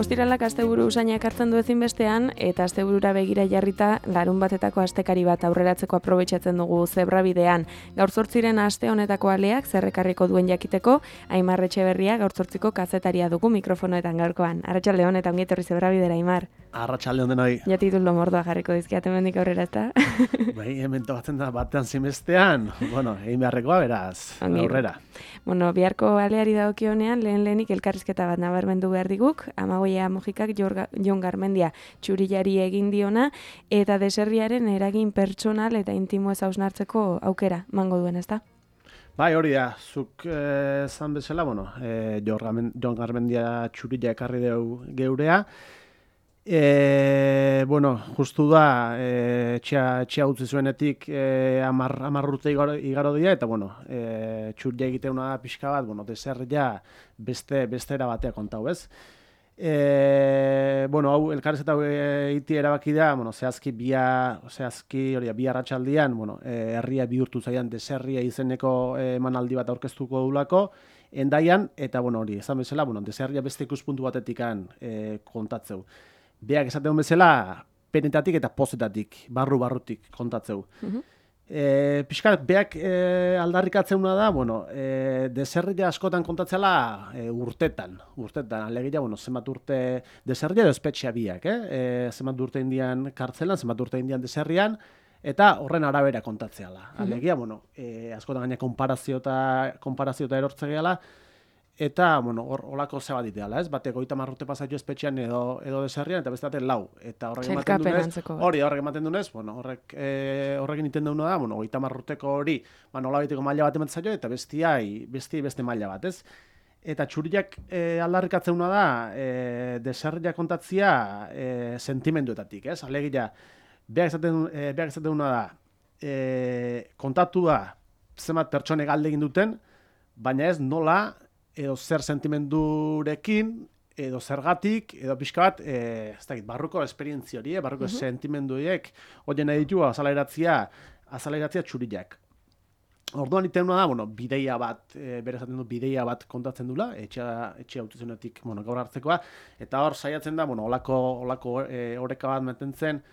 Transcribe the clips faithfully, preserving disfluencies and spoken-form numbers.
Ostiralak asteburu usainak hartzen du ezinbestean, eta asteburura begira jarrita larun batetako astekari bat aurreratzeko aprobetxatzen dugu zebrabidean. Gaur zortziren aste honetako aleak zerrekarriko duen jakiteko, Aimar Etxeberria gaur zortziko kazetaria dugu mikrofonoetan gaurkoan. Arratsaldeon eta ongi etorri zebrabidera, Aimar. Arratsaldeon denoi. Ja titulu mordoa jarriko dizkiat hemendik aurrera, ezta? Bai, hemen tokatzen da batean zinbestean, bueno, egin beharrekoa beraz, aurrera. Bueno, biharko aleari dagokionean lehen lehenik elkarrizketa bat nabarmendu behar diguk, Amagoia Mojikak Jon Garmendia txurillari egin diona, eta deserriaren eragin pertsonal eta intimo ez hausnartzeko aukera mango duen, ezta? Bai, hori da, zuk esan bezala, bueno, e, Jon Garmendia txurilla ekarri deu geurea, E, bueno, justu da, e, txea utzi zuenetik e, amar, amar urte igaro, igaro dira, eta bueno, e, txurria egiteuna da pixka bat, bueno, deserria beste, beste erabatea kontau, ez? E, bueno, hau, elkarrezeta egiti erabaki da, bueno, zehazki bia, zehazki, hori, bi arratsaldian, bueno, e, herria bihurtu zaian deserria izeneko emanaldi bat aurkeztuko dulako, Endaian, eta bueno, hori, esan bezala, bueno, deserria beste ikuspuntu batetikan e, kontatzeu. Beak esaten bezala, penetatik eta pozetatik, barru-barrutik kontatzeu. Uh-huh. E, Piskat, beak e, aldarrikatzeuna da, bueno, e, deserria askotan kontatzela e, urtetan, urtetan, alegia, bueno, zenbat urte deserria edo espetxea biak, eh? E, zenbat urte indian kartzelan, zenbat urte indian deserrian, eta horren arabera kontatzeala. Alegia, uh-huh. bueno, e, askotan gaina konparaziota, konparaziota erortze gehala, eta, bueno, hor, holako zebat iteala, ez? Batek goita marrute pasatio espetxean edo, edo deserrian, eta beste lau. Eta horrek ematen dunez, hori, horrek ematen dunez, bueno, horrek, e, horrekin iten duna da, bueno, goita marruteko hori, ba, nola baiteko maila bat ematen zaio, eta bestiai, besti beste maila bat, ez? Eta txuriak e, aldarrikatzeuna da, e, deserria kontatzia e, sentimenduetatik, ez? Alegia, beak esaten, e, beak esaten duna da, e, kontatu da, zenbat pertsone galde egin duten, baina ez nola, edo zer sentimendurekin, edo zergatik, edo pixka bat, e, ez dakit, barruko esperientzia hori, barruko uh-huh. sentimenduiek, horien nahi ditu azalairatzia, azalairatzia txuriak. Orduan iten da, bueno, bideia bat, e, bere esaten du bideia bat kontatzen dula, etxea, etxea autuzenetik, bueno, gaur hartzekoa, eta hor saiatzen da, bueno, olako, olako e, oreka bat mantentzen,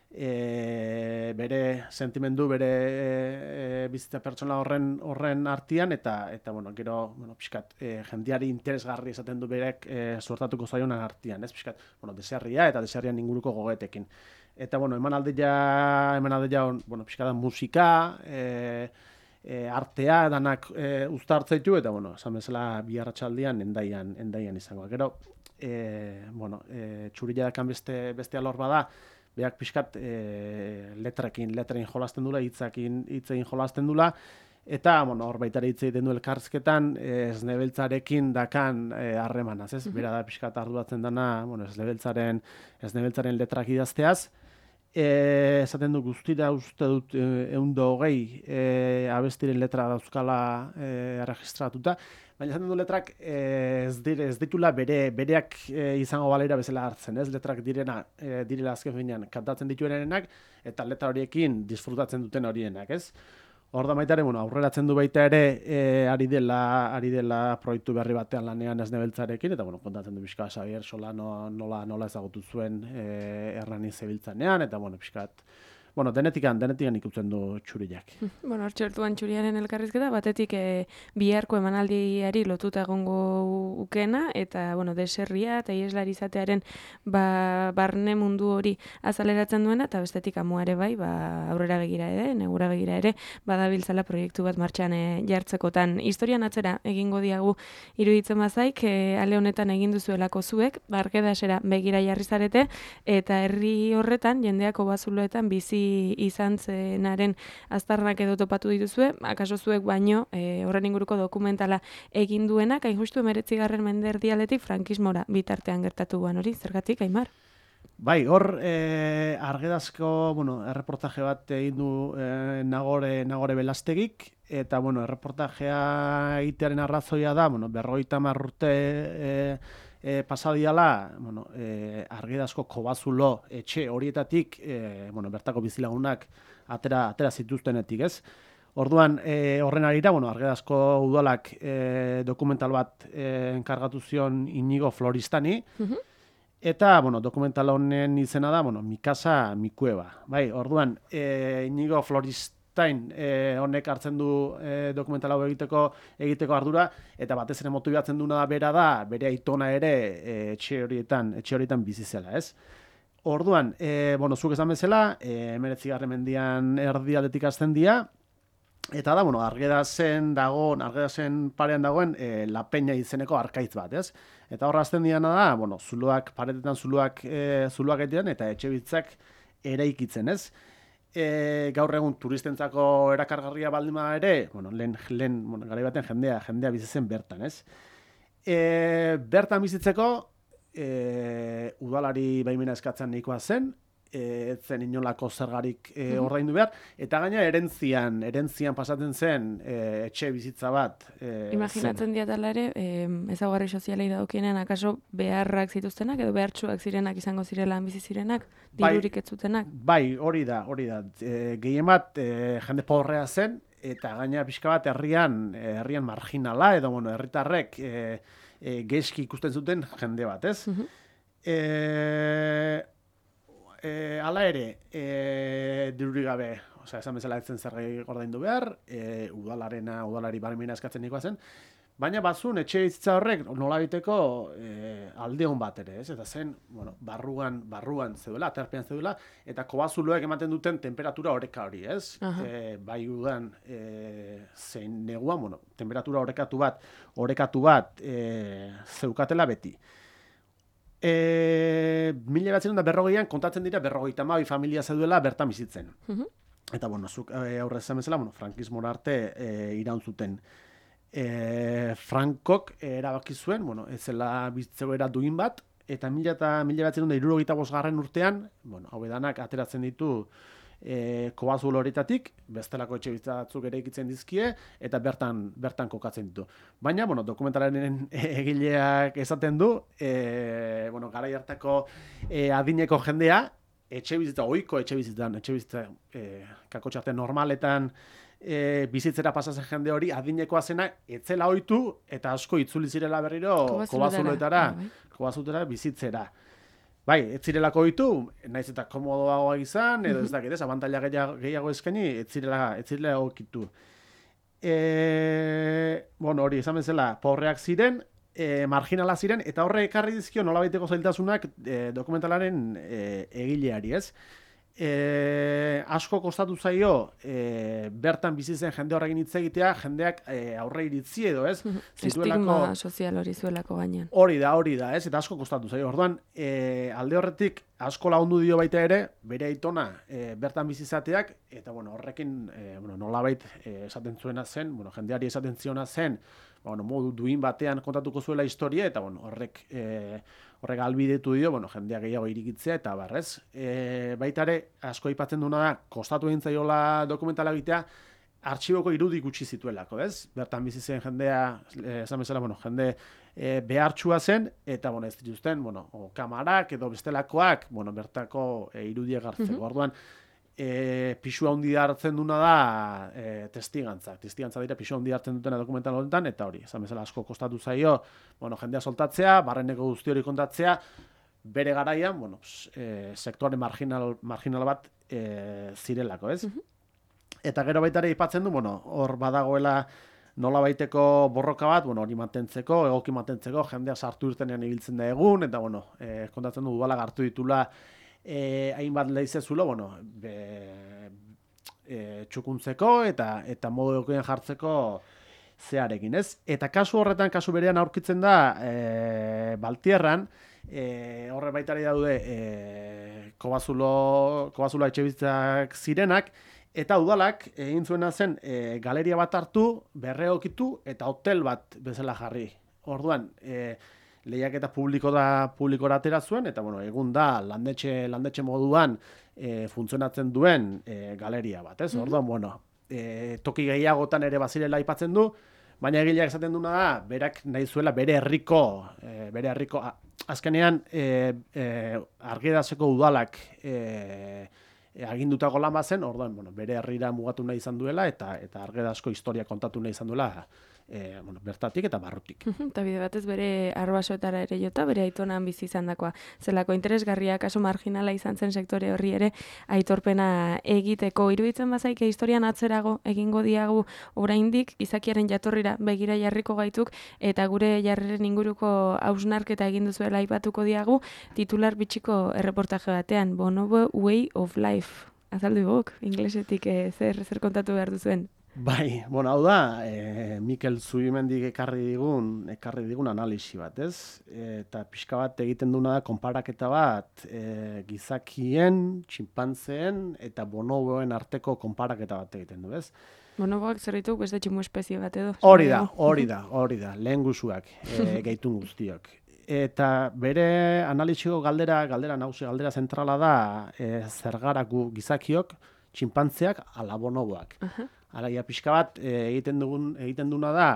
E, bere sentimendu, bere e, bizitza pertsona horren horren artean, eta, eta bueno, gero, bueno, pixkat, e, jendiari interesgarri esaten du berek e, suertatuko zaionan artean, ez, pixkat, bueno, deserria eta deserrian inguruko gogetekin. Eta, bueno, emanaldia, emanaldia, bueno, pixkat, musika, e, e, artea, danak e, uztartzeitu, eta, bueno, esan bezala, bi arratsaldian endaian, endaian izango. Gero, e, bueno, e, txurilla dakan beste, beste alor bada, beak pixkat e, letrekin, letrein jolasten dula, hitzakin, hitzein jolasten dula, eta, bueno, hor baitare hitz egiten du elkarrizketan, esnebeltzarekin dakan harremanaz, ez? Bera da pixkat arduratzen dana, bueno, esnebeltzaren, esnebeltzaren letrak idazteaz, e, esaten du guztira uste dut eundo hogei e, abestiren letra dauzkala e, registratuta, baina esaten du letrak ez, dire, ez ditula bere, bereak e, izango balera bezala hartzen, ez? Letrak direna, e, direla azken finean kantatzen dituenenak, eta letra horiekin disfrutatzen duten horienak, ez? Hor da baita ere, bueno, aurreratzen du baita ere e, ari dela, ari dela proiektu berri batean lanean esnebeltzarekin, eta bueno, kontatzen du pixka Xabier Solano nola, nola ezagutu zuen e, errani zebiltzanean, eta bueno, pixkat, bueno, denetikan, denetikan ikutzen du txuriak. Bueno, hortxertuan txuriaren elkarrizketa, batetik e, biharko emanaldiari lotuta egongo ukena, eta, bueno, deserria eta ieslari izatearen ba, barne mundu hori azaleratzen duena, eta bestetik amuare bai, ba, aurrera begira ere, negura begira ere, badabiltzala proiektu bat martxan e, jartzekotan. Historian atzera egingo diagu iruditzen bazaik, e, ale honetan egin duzuelako zuek, barkedasera begira jarri zarete, eta herri horretan, jendeako bazuloetan bizi izan zenaren aztarnak edo topatu dituzue, akaso zuek baino e, horren inguruko dokumentala egin duenak, hain justu emeretzigarren menderdialetik frankismora bitartean gertatu guan hori, zergatik, Aimar? Bai, hor e, argedazko, bueno, erreportaje bat egin du e, Nagore, Nagore Belastegik, eta, bueno, erreportajea egitearen arrazoia da, bueno, berrogeita hamar urte e, e, pasadiala, bueno, e, argidazko kobazulo etxe horietatik, e, bueno, bertako bizilagunak atera, atera zituztenetik, ez? Orduan, e, horren arira, bueno, argidazko udalak e, dokumental bat e, enkargatu zion Inigo Floristani, uh-huh. Eta, bueno, dokumental honen izena da, bueno, Mikasa Mikueba. Bai, orduan, e, Inigo Floristain e, honek hartzen du e, dokumental hau egiteko egiteko ardura, eta batez ere motibatzen duna bera da, bere aitona ere e, etxe horietan, etxe horietan bizi zela, ez? Orduan, e, bueno, zuk esan bezala, e, hemeretzigarren mendian erdialdetik hasten dira, eta da, bueno, Argedasen dagoen, Argedasen parean dagoen e, La Peña izeneko arkaitz bat, ez? Eta horra azten diana da, bueno, zuloak, paretetan zuloak, e, zuloak egiten, eta etxe bitzak eraikitzen, ez? E, gaur egun turistentzako erakargarria baldin bada ere, bueno, lehen, lehen bueno, garai baten jendea, jendea bizitzen bertan, ez? E, bertan bizitzeko, e, udalari baimena eskatzen nahikoa zen, ez zen inolako zergarik e, ordaindu behar, eta gaina erentzian, erentzian pasatzen zen e, etxe bizitza bat. E, Imaginatzen diatala ere, e, ezaugarri sozialei daukienean akaso beharrak zituztenak, edo behartsuak zirenak izango zirelan bizi zirenak, dirurik ez zutenak. Bai, hori da, hori da. E, gehien bat, e, jende pobrea zen, eta gaina pixka bat herrian, herrian marginala, edo bueno, herritarrek e, e, geizki ikusten zuten jende bat, ez? Uh-huh. e, E, ala ere, e, dirurik gabe, osea, esan bezala etzen zergai ordaindu behar, e, udalarena, udalari barmena eskatzen nikoa zen, baina bazun etxe bizitza horrek nola biteko e, alde hon bat ere, ez? Eta zen, bueno, barruan, barruan zeudela, aterpean zeudela, eta kobazuloek ematen duten temperatura oreka hori, ez? E, bai udan e, zein neguan, bueno, temperatura orekatu bat, orekatu bat e, zeukatela beti. E, mila batzen da berrogeian kontatzen dira berrogeita hamabi familia zeuduela bertan bizitzen. Uh-huh. Eta, bueno, zuk e, aurrez esan bezala, bueno, frankismora arte e, iraun zuten. E, Frankok erabaki zuen, bueno, ez zela bizitzegoera duin bat, eta mila batzen da hirurogeita bosgarren urtean, bueno, hau edanak ateratzen ditu e, kobazulo horitatik, bestelako etxe bizitzak ere ikitzen dizkie, eta bertan bertan kokatzen ditu. Baina, bueno, dokumentalaren egileak esaten du, e, bueno, garai hartako e, adineko jendea, etxe bizitza, ohiko etxe bizitzan, etxe bizitza e, kakotxarte normaletan e, bizitzera pasatzen jende hori, adinekoa zena, etzela ohitu, eta asko itzuli zirela berriro kobazuloetara, kobazuloetara bizitzera. Bai, ez zirelako ohitu, naiz eta komodoagoa izan, edo ez dakit, ez, abantaila gehiago eskaini, ez zirela, ez zirela okitu. E, bueno, hori, esan bezala, pobreak ziren, e, marginala ziren, eta horre ekarri dizkio nolabaiteko zailtasunak e, dokumentalaren e, egileari, ez? E, asko kostatu zaio e, bertan bizi zen jende horrekin hitz egitea, jendeak e, aurre iritzi edo, ez? Estigma sozial hori zuelako gainean. Hori da, hori da, ez? Eta asko kostatu zaio. Orduan, e, alde horretik asko lagundu dio baita ere, bere aitona e, bertan bizi izateak, eta bueno, horrekin e, bueno, nolabait e, esaten zuena zen, bueno, jendeari esaten ziona zen, bueno, modu duin batean kontatuko zuela historia, eta bueno, horrek e, horrek albidetu dio, bueno, jendea gehiago irikitzea, eta barrez. E, baita ere, asko aipatzen duna da, kostatu egin zaiola dokumentala egitea, artxiboko irudik gutxi zituelako, ez? Bertan bizi zen jendea, esan bezala, bueno, jende e, behartsua zen, eta, bueno, ez dituzten, bueno, o, kamarak edo bestelakoak, bueno, bertako e, irudiek hartzeko. Mm-hmm. Orduan, e, pixua handi hartzen duna da e, testigantzak. Testigantza dira pixua handi hartzen dutena dokumental honetan, eta hori, esan bezala asko kostatu zaio, bueno, jendea soltatzea, barreneko guzti hori kontatzea, bere garaian, bueno, e, sektuare marginal, marginal bat e, zirelako, ez? Mm-hmm. Eta gero baita ere aipatzen du, bueno, hor badagoela nola baiteko borroka bat, bueno, hori mantentzeko, egoki mantentzeko, jendea sartu irtenean ibiltzen da egun, eta, bueno, e, kontatzen du udalak hartu ditula e, hainbat leizezulo, bueno, be, e, txukuntzeko eta eta modu egokian jartzeko zearekin, ez? Eta kasu horretan, kasu berean aurkitzen da e, Baltierran, e, horre baitari daude e, kobazulo, kobazulo etxebizitzak zirenak, eta udalak egin zuena zen e, galeria bat hartu, berreokitu eta hotel bat bezala jarri. Orduan, e, lehiaketa publiko da publikora atera zuen, eta bueno, egun da landetxe, landetxe moduan e, funtzionatzen duen e, galeria bat, ez? Mm-hmm. Orduan, bueno, e, toki gehiagotan ere bazirela aipatzen du, baina egileak esaten duna da, berak nahi zuela bere herriko, e, bere herriko, a, azkenean e, e, Argedaseko udalak e, e, agindutako lan bazen, orduan, bueno, bere herrira mugatu nahi izan duela, eta eta Argedasko historia kontatu nahi izan duela e, bueno, bertatik eta barrutik. Eta bide batez bere arbasoetara ere jota, bere aitonan bizi izandakoa. Zelako interesgarria, kaso marginala izan zen sektore horri ere aitorpena egiteko. Iruditzen bazaike historian atzerago egingo diagu oraindik gizakiaren jatorrira begira jarriko gaituk eta gure jarreren inguruko hausnarketa egin duzuela aipatuko diagu titular bitxiko erreportaje batean, Bonobo Way of Life. Azaldu guk, inglesetik eh, zer, zer kontatu behar duzuen. Bai, bueno, hau da, e, Mikel Zubimendik ekarri digun, ekarri digun analisi bat, ez? E, eta pixka bat egiten duna da, konparaketa bat, e, gizakien, txinpantzeen eta bonoboen arteko konparaketa bat egiten du, ez? Bonoboak zer dituk beste tximu espezie bat edo? Hori da, hori da, hori da, lehen guzuak, e, gehitun guztiok. Eta bere analisiko galdera, galdera nagusi, galdera zentrala da, e, zergaraku gizakiok, txinpantzeak ala bonoboak. Uh-huh. Alaia pixka bat e, egiten dugun egiten duna da,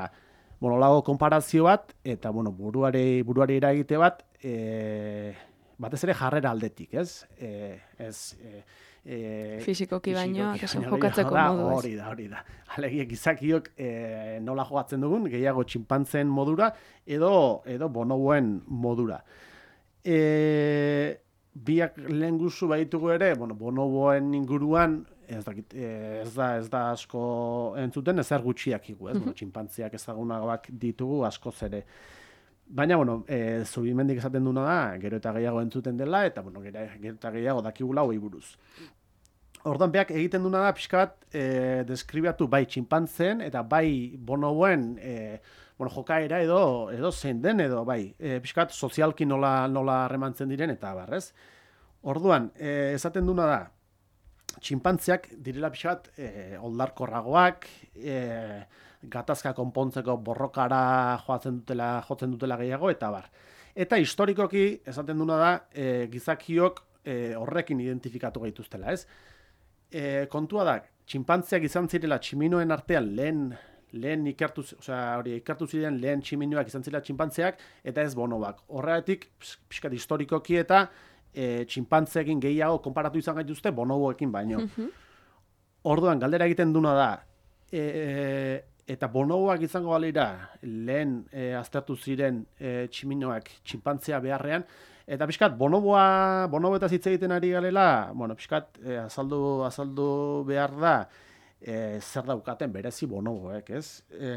bueno, lago konparazio bat eta bueno, buruari buruari eragite bat, e, batez ere jarrera aldetik, ez? E, ez e, e, fisikoki baino, jokatzeko modu, ez? Hori da, hori da. Alegia gizakiok e, nola jokatzen dugun, gehiago txinpantzen modura edo edo bonoboen modura. E, biak lehen guzu baditugu ere, bueno, bonoboen inguruan Ez, dakit, ez, da, ez da asko entzuten, ezer gutxiak igu, ez? Bueno, txinpantziak ezagunagoak ditugu askoz ere. Baina, bueno, e, Zubimendik esaten duna da, gero eta gehiago entzuten dela, eta bueno, gero, gero eta gehiago dakigula hoi buruz. Orduan, beak egiten duna da, pixka bat, e, deskribatu bai txinpantzen, eta bai bonoboen, e, bueno, jokaera edo, edo zein den, edo bai, e, pixka bat, sozialki nola, nola harremantzen diren, eta barrez. Orduan, e, esaten duna da, txinpantziak direla pixat e, oldarkorragoak, e, gatazka konpontzeko borrokara joatzen dutela, jotzen dutela gehiago, eta bar. Eta historikoki, esaten duna da, e, gizakiok e, horrekin identifikatu gaituztela, ez? E, kontua da, txinpantziak izan zirela tximinoen artean lehen, lehen ikertu, osea, hori, ikertu ziren lehen tximinoak izan zirela txinpantziak, eta ez bonoboak. Horregatik, pixkat historikoki eta E, txinpantzeekin gehiago konparatu izan gaituzte bonoboekin baino. Uh-huh. Orduan, galdera egiten duna da, e, eta bonoboak izango balira lehen e, aztertu ziren e, tximinoak txinpantzea beharrean, eta pixkat, bonoboa, bonoboetaz hitz egiten ari galela, bueno, pixkat, e, azaldu, azaldu behar da, e, zer daukaten berezi bonoboek, ez? E,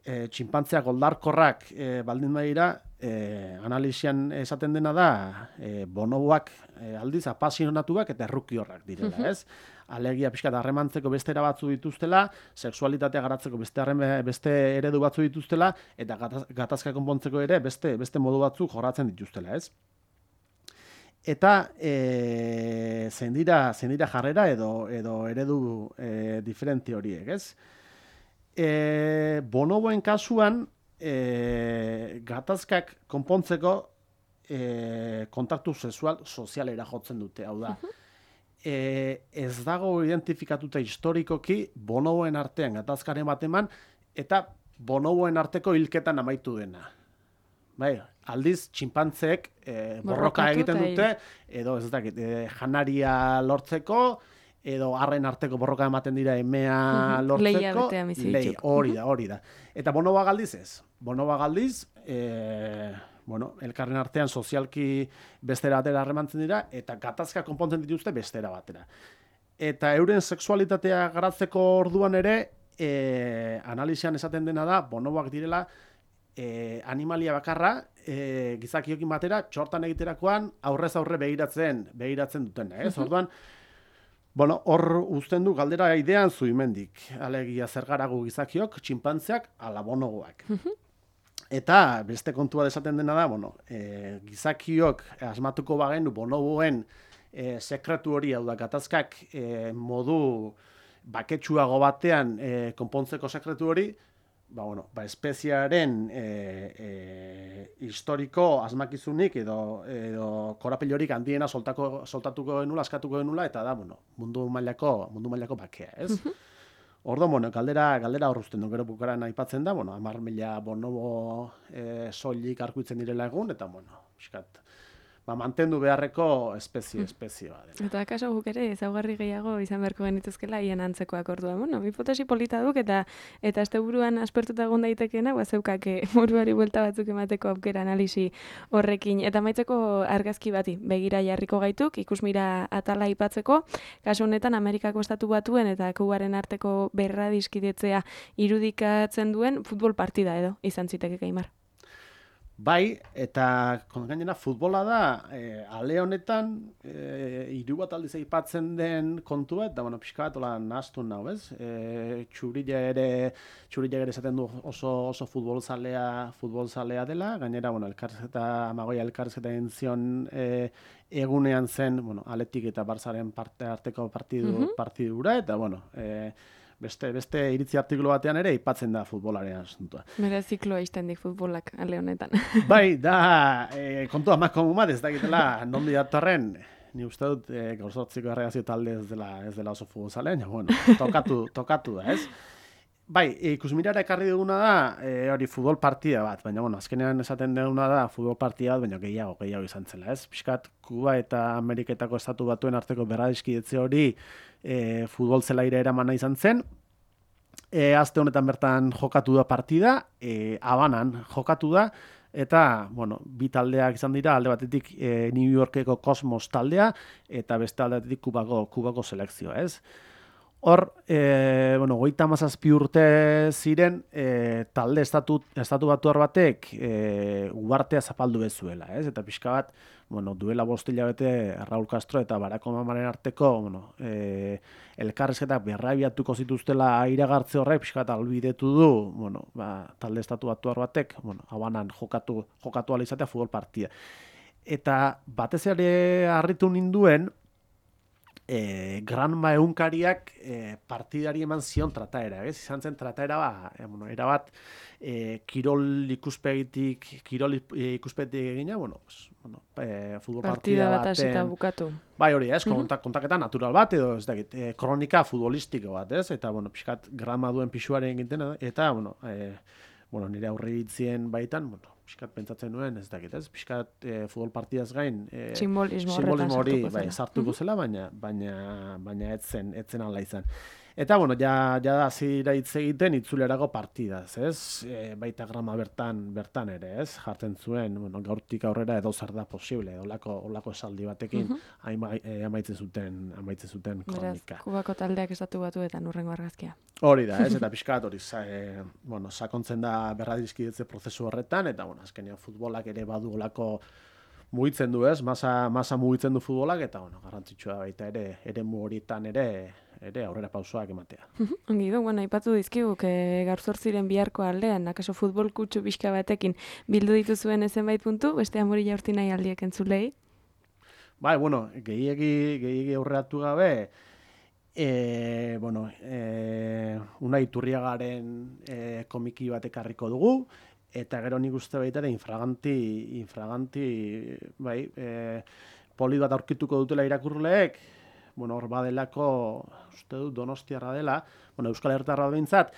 e, txinpantzeak oldarkorrak e, baldin badira, E, analisian esaten dena da e, bonoboak e, aldiz apasionatuak eta errukiorrak direla, ez? Alegia pixkat harremantzeko beste era batzu dituztela, sexualitatea garatzeko beste, arreme, beste eredu batzu dituztela, eta gataz, gatazka konpontzeko ere beste, beste modu batzu jorratzen dituztela, ez? Eta e, zein dira, zein dira jarrera edo, edo eredu e, diferente horiek, ez? E, bonoboen kasuan, E, gatazkak konpontzeko e, kontaktu sexual sozialera jotzen dute, hau da. E, ez dago identifikatuta historikoki bonoboen artean gatazkaren bat eman, eta bonoboen arteko hilketan amaitu dena. Bai, aldiz, txinpantzeek e, borroka egiten dute, edo ez dakit, e, janaria lortzeko, edo harren arteko borroka ematen dira emea uh-huh. lortzeko. Leia betea mizitzuk. Hori da, hori da. Eta bonoboa galdiz ez. Bonoboa galdiz, e, bueno, elkarren artean sozialki bestera batera harremantzen dira, eta gatazka konpontzen dituzte bestera batera. Eta euren sexualitatea garatzeko orduan ere, e, analizian esaten dena da, bonoboak direla, e, animalia bakarra, e, gizakiokin batera, txortan egiterakoan, aurrez aurre begiratzen, begiratzen dutena, ez? Uh-huh. Orduan, bueno, hor uzten du galdera idean Zubimendik. Alegia zergaragu gizakiok, txinpantzeak, ala bonoboak. Eta beste kontua desaten dena da, bueno, e, gizakiok asmatuko bagenu bonoboen e, sekretu hori, hau da, gatazkak e, modu baketsuago batean e, konpontzeko sekretu hori, ba, bueno, ba, espeziaren e, e, historiko asmakizunik edo, edo korapilorik handiena soltako, soltatuko genula, askatuko genula, eta da, bueno, mundu mailako, mundu mailako bakea, ez? Ordo, bueno, galdera, galdera horruzten du, gero bukaran aipatzen da, bueno, hamar mila bonobo e, soilik arkuitzen direla egun, eta, bueno, piskat, ba, mantendu beharreko espezie, espezie bat. Eta akaso guk ere ezaugarri gehiago izan beharko genituzkela hien antzekoak ordua. Bueno, hipotesi polita duk eta eta asteburuan aspertuta egon daitekeena, ba zeukake buruari buelta batzuk emateko aukera analisi horrekin. Eta amaitzeko argazki bati begira jarriko gaituk, ikusmira atala aipatzeko, kasu honetan Amerikako Estatu Batuen eta Kubaren arteko berradiskidetzea irudikatzen duen futbol partida edo izan ziteke Aimar. Bai, eta gainera futbola da, e, ale honetan, e, hiru bat aldiz aipatzen den kontua, eta bueno, pixka bat, ola, nahaztu nau, ez? E, txurila ere, txurila ere esaten du oso, oso futbolzalea, futbolzalea dela, gainera, bueno, elkarrizketa, amagoia elkarrizketa entzion e, egunean zen, bueno, Aletik eta Barzaren parte arteko partidu, mm-hmm. partidura, eta bueno, e, Beste, beste iritzi artikulu batean ere aipatzen da futbolaren asuntua. Bere zikloa izten dik futbolak ale honetan. Bai, da, e, kontua mako bat ez dakitela nondi datorren, ni uste dut e, gauzortziko erregazio talde ez dela, ez dela oso futbolzalean, ja, bueno, tokatu, tokatu da, ez? Bai, ikusmirara ekarri duguna da, e, hori futbol partida bat, baina, bueno, azkenean esaten duguna da futbol partida bat, baina gehiago, gehiago izan zela, ez? Piskat, Kuba eta Ameriketako Estatu Batuen arteko berradizkidetze hori e, futbol zelaira eramana izan zen. E, azte honetan bertan jokatu da partida, e, Habanan jokatu da, eta, bueno, bi taldeak izan dira, alde batetik e, New Yorkeko Cosmos taldea, eta beste alde batetik Kubako, Kubako selekzioa, ez? Hor, e, bueno, goita mazazpi urte ziren, e, talde estatu, estatu batuar batek e, ubartea zapaldu bezuela, ez? Eta pixka bat, bueno, duela bost hilabete Raul Castro eta Barack Obamaren arteko, bueno, e, elkarrizketak berrabiatuko zituztela iragartze horrek, pixka bat albidetu du, bueno, ba, talde estatu batuar batek, bueno, Habanan jokatu, jokatu ala izatea futbol partida. Eta batez ere harritu ninduen, E, Granma egunkariak e, partidari eman zion trataera, ez? Izan zen trataera ba, e, bueno, erabat e, kirol ikuspegitik, kirol ikuspegitik egina, bueno, pues, bueno e, futbol partida, partida bat hasita bukatu. Bai, hori, ez, kontak, kontaketa natural bat edo, ez dakit, e, kronika futbolistiko bat, ez? Eta, bueno, pixkat Granma duen pixuaren egiten, eta, bueno, e, bueno, nire aurreitzien baitan, bueno, pixkat pentsatzen nuen, ez dakit, ez? Pixkat e, futbol partidaz gain e, simbolismo hori bai, sartuko zela, baina baina baina etzen etzen ala izan. Eta bueno, ja ja da hasiera hitz egiten itzulerako partidaz, ez? E, baita Grama bertan bertan ere, ez? Jartzen zuen, bueno, gaurtik aurrera edo zer da posible, holako holako esaldi batekin uh -huh. e, amaitzen zuten, amaitzen zuten kronika. Beraz, Kubako taldeak Estatu Batuetan hurrengo argazkia. Hori da, ez? Eta pixkat hori, e, bueno, sakontzen da berradizkidetze prozesu horretan, eta bueno, azkenean futbolak ere badu holako mugitzen du, ez? Masa, masa mugitzen du futbolak, eta bueno, garrantzitsua baita ere, eremu horietan ere, ere aurrera pausoak ematea. Ongi du, bueno, aipatu dizkigu, que gaur zortziren biharko aldean, akaso futbol kutsu pixka batekin bildu dituzuen zenbait puntu, beste amori jaurti nahi aldiek entzulei? Bai, bueno, gehiegi, gehiegi aurreratu gabe, e, bueno, e, Unai Iturriagaren e, komiki bat ekarriko dugu, eta gero nik uste baita ere infraganti, infraganti, bai, e, poli bat aurkituko dutela irakurleek, bueno, hor badelako, uste dut, Donostiarra dela, bueno, Euskal Herritarra behintzat,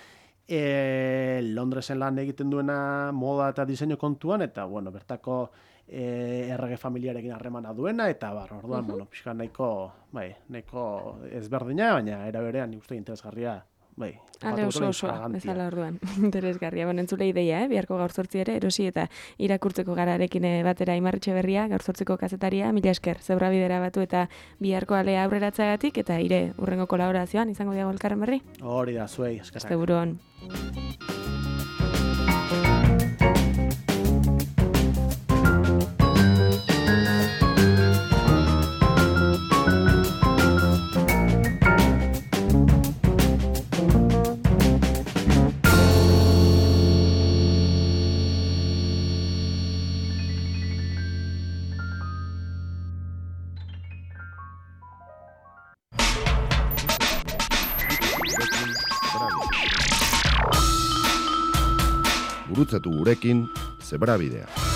e, Londresen lan egiten duena moda eta diseinu kontuan, eta, bueno, bertako e, errege familiarekin harremana duena, eta bar, orduan, uh -huh. bueno, pixka nahiko, bai, nahiko ezberdina, baina era berean nik uste interesgarria, bai. Ale oso osoa, bezala orduan, interesgarria. Bueno, entzule ideia, eh? Biharko gaur zortzi ere, erosi eta irakurtzeko gararekin batera Aimar Etxeberria, gaur zortziko kazetaria, mila esker, Zebrabidera batu eta biharko alea aurreratzagatik, eta ire urrengo kolaborazioan, izango diago elkarren berri? Hori da, zuei, eskerrak. Asteburuan. Gurutzatu gurekin Zebrabidea.